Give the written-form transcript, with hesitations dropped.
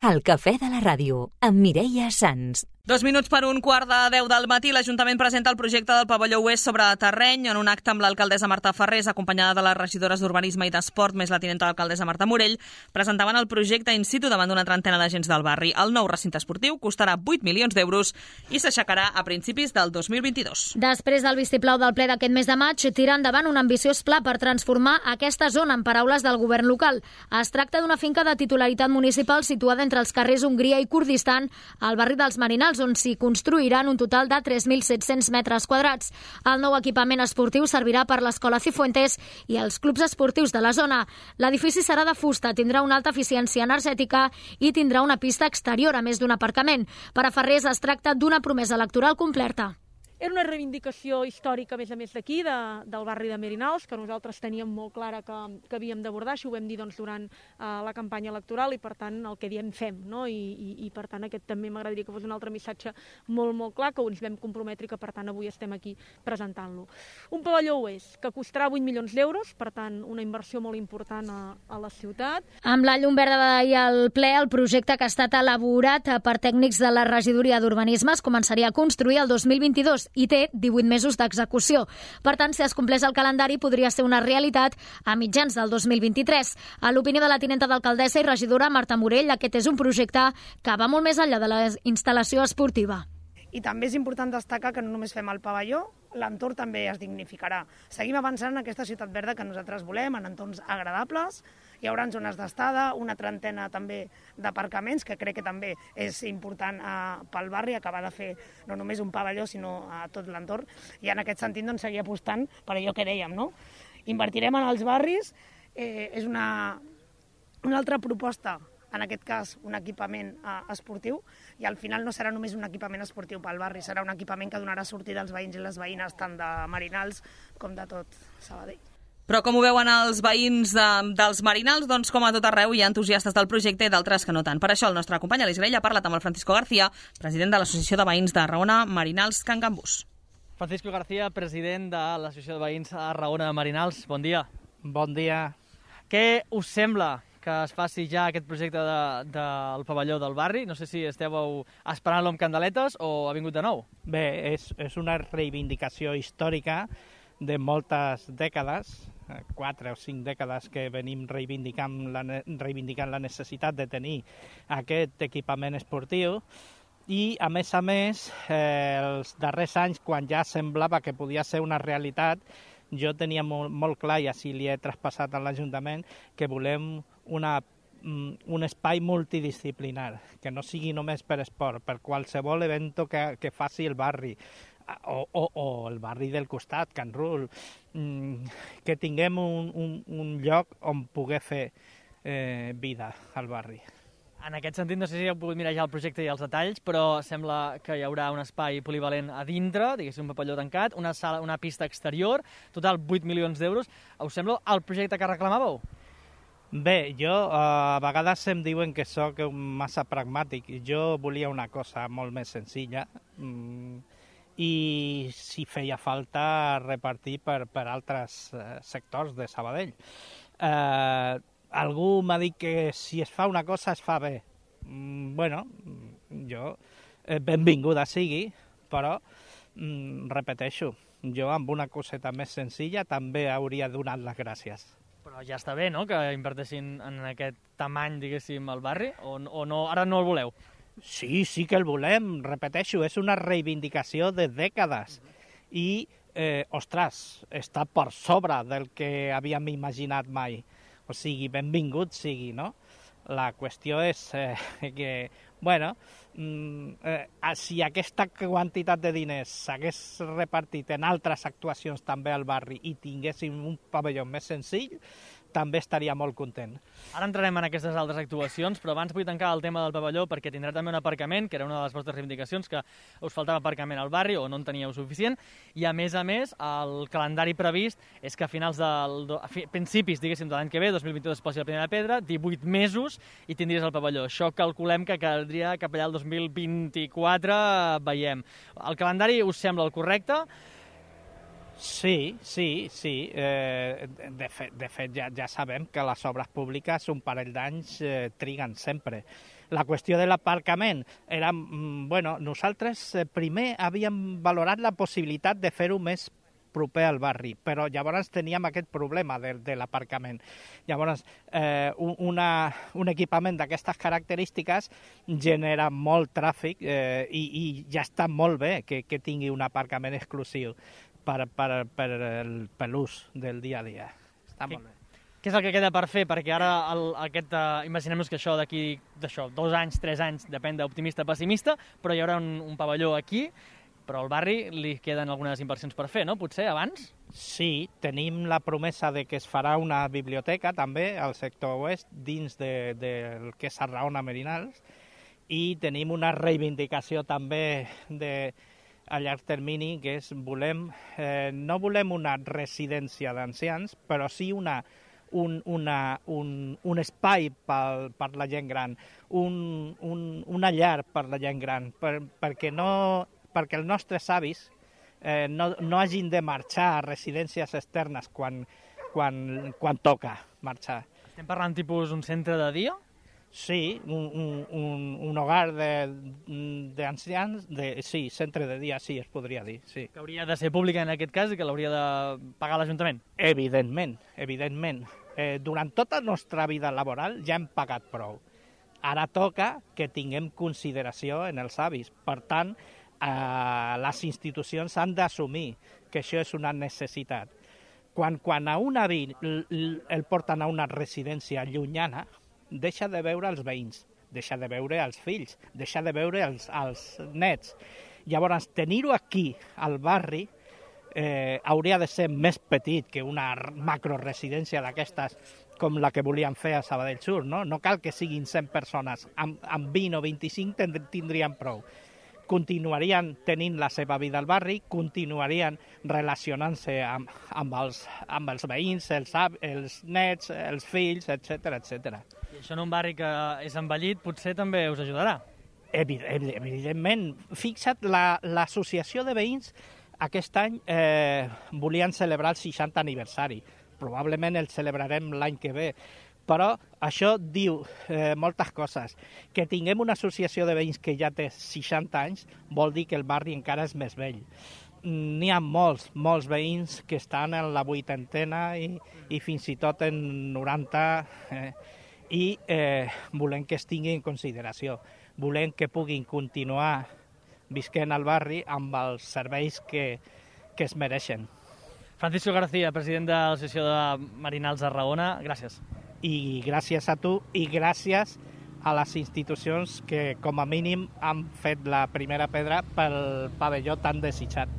El cafè de la ràdio, amb Mireia Sans. 2 minuts per un quart de 10 del matí, l'Ajuntament presenta el projecte del pavelló oest sobre terreny en un acte amb l'alcaldessa Marta Ferrés, acompanyada de les regidores d'Urbanisme i d'Esport, més la tinenta d'alcaldessa Marta Morell, presentaven el projecte in situ davant d'una trentena d'agents del barri. El nou recinte esportiu costarà 8 milions d'euros i s'aixecarà a principis del 2022. Després del vistiplau del ple d'aquest mes de maig, tira endavant un ambiciós pla per transformar aquesta zona, en paraules del govern local. Es tracta d'una finca de titularitat municipal situada entre els carrers Hongria i Kurdistan, al barri dels Marinals, on s'hi construiran un total de 3.700 metres quadrats. El nou equipament esportiu servirà per l'Escola Cifuentes i els clubs esportius de la zona. L'edifici serà de fusta, tindrà una alta eficiència energètica i tindrà una pista exterior, a més d'un aparcament. Per a Ferrés es tracta d'una promesa electoral completa. Era una reivindicació històrica, a més d'aquí, del barri de Merinals, que nosaltres teníem molt clara que havíem d'abordar. Això ho vam dir durant la campanya electoral i, per tant, el que diem fem. No? I per tant, aquest també m'agradaria que fos un altre missatge molt clar, que ens vam comprometre i que, per tant, avui estem aquí presentant-lo. Un pavelló oest que costarà 8 milions d'euros, per tant, una inversió molt important a la ciutat. Amb la llum verda d'ahir al ple, el projecte que ha estat elaborat per tècnics de la regidoria d'Urbanisme es començaria a construir el 2022 i té 18 mesos d'execució. Per tant, si es compleix el calendari, podria ser una realitat a mitjans del 2023. A l'opinió de la tinenta d'alcaldessa i regidora Marta Morell, aquest és un projecte que va molt més enllà de la instal·lació esportiva. I també és important destacar que no només fem el pavelló, l'entorn també es dignificarà. Seguim avançant en aquesta ciutat verda que nosaltres volem, en entorns agradables. Hi haurà zones d'estada, una trentena també d'aparcaments, que crec que també és important pel barri, acabar de fer no només un pavelló, sinó a tot l'entorn. I en aquest sentit doncs, seguir apostant per allò que dèiem, no? Invertirem en els barris, és una altra proposta, en aquest cas un equipament esportiu, i al final no serà només un equipament esportiu pel barri, serà un equipament que donarà sortida als veïns i les veïnes tant de Marinals com de tot Sabadell. Però com ho veuen els veïns dels Marinals, doncs com a tot arreu hi ha entusiastes del projecte i d'altres que no tant. Per això el nostre company Aleix Grell ha parlat amb el Francisco García, president de l'Associació de Veïns de Raona Marinals Can Gambús. Francisco García, president de l'Associació de Veïns a Raona Marinals, bon dia. Bon dia. Què us sembla que es faci ja aquest projecte del pavelló del barri? No sé si esteu esperant-lo amb candeletes o ha vingut de nou. Bé, és una reivindicació històrica de moltes dècades, 4 o 5 dècades que venim reivindicant la necessitat de tenir aquest equipament esportiu i, a més, els darrers anys, quan ja semblava que podia ser una realitat, jo tenia molt clar, i així li he traspassat a l'Ajuntament, que volem un espai multidisciplinar, que no sigui només per esport, per qualsevol evento que faci el barri, o el barri del costat, Can Rull, que tinguem un lloc on poder fer vida al barri. En aquest sentit, no sé si heu pogut mirar ja el projecte i els detalls, però sembla que hi haurà un espai polivalent a dintre, diguéssim un pavelló tancat, una pista exterior, total 8 milions d'euros. Us sembla el projecte que reclamàveu? Bé, a vegades em diuen que sóc massa pragmàtic. Jo volia una cosa molt més senzilla i si feia falta repartir per altres sectors de Sabadell. Algú m'ha dit que si es fa una cosa es fa bé. Bueno, jo benvinguda sigui, però repeteixo, jo amb una coseta més senzilla també hauria donat les gràcies. Però ja està bé, no?, que inverteixin en aquest tamany, diguéssim, al barri, o no, ara no el voleu? Sí que el volem, repeteixo, és una reivindicació de dècades i, ostres, està per sobre del que havíem imaginat mai. O sigui, benvingut sigui, no? La qüestió és que, bueno, si aquesta quantitat de diners s'hagués repartit en altres actuacions també al barri i tinguéssim un pavelló més senzill, també estaria molt content. Ara entrarem en aquestes altres actuacions, però abans vull tancar el tema del pavelló perquè tindrà també un aparcament, que era una de les vostres reivindicacions, que us faltava aparcament al barri o no en teníeu suficient, i a més, el calendari previst és que a principis, diguéssim, de l'any que ve, 2022, es posi la primera pedra, 18 mesos i tindries el pavelló. Això calculem que caldria cap allà el 2024, veiem. El calendari us sembla el correcte? Sí. De fet ja sabem que les obres públiques un parell d'anys triguen sempre. La qüestió de l'aparcament era... Bueno, nosaltres primer havíem valorat la possibilitat de fer-ho més proper al barri, però llavors teníem aquest problema de l'aparcament. Llavors, un equipament d'aquestes característiques genera molt tràfic i ja està molt bé que tingui un aparcament exclusiu per l'ús del dia a dia. Està molt bé. Què és el que queda per fer? Perquè ara imaginem-nos que això d'aquí 2 anys, 3 anys, depèn d'optimista o pessimista, però hi haurà un pavelló aquí, però al barri li queden algunes inversions per fer, no? Potser abans? Sí, tenim la promesa de que es farà una biblioteca també al sector oest dins del que és Arraona Merinals i tenim una reivindicació també a llarg termini que és no volem una residència d'ancians, però sí un espai per la gent gran, una llar per la gent gran, perquè els nostres avis no hagin de marxar a residències externes quan toca marxar. Estem parlant tipus un centre de dia? Sí, un hogar d'ancians, sí, centre de dia, sí, es podria dir, sí. Que hauria de ser pública en aquest cas i que l'hauria de pagar l'Ajuntament? Evidentment. Durant tota la nostra vida laboral ja hem pagat prou. Ara toca que tinguem consideració en els avis. Per tant, les institucions han d'assumir que això és una necessitat. Quan a un avi el porten a una residència llunyana, deixa de veure els veïns, deixa de veure els fills, deixa de veure els nets. Llavors, tenir-ho aquí, al barri, hauria de ser més petit que una macroresidència d'aquestes com la que volien fer a Sabadell Sur, no? No cal que siguin 100 persones, amb 20 o 25 tindrien prou. Continuarien tenint la seva vida al barri, continuarien relacionant-se amb els veïns, els nets, els fills, etc. I això en un barri que és envellit potser també us ajudarà? Evidentment. Fixa't, l'associació de veïns aquest any volien celebrar el 60 aniversari. Probablement el celebrarem l'any que ve. Però això diu moltes coses. Que tinguem una associació de veïns que ja té 60 anys vol dir que el barri encara és més vell. N'hi ha molts veïns que estan en la 80ena i fins i tot en 90 i volem que es tingui en consideració. Volem que puguin continuar visquent al barri amb els serveis que es mereixen. Francisco García, president de l'Associació de Merinals Arraona, gràcies. I gràcies a tu i gràcies a les institucions que com a mínim han fet la primera pedra pel pavelló tan desitjat.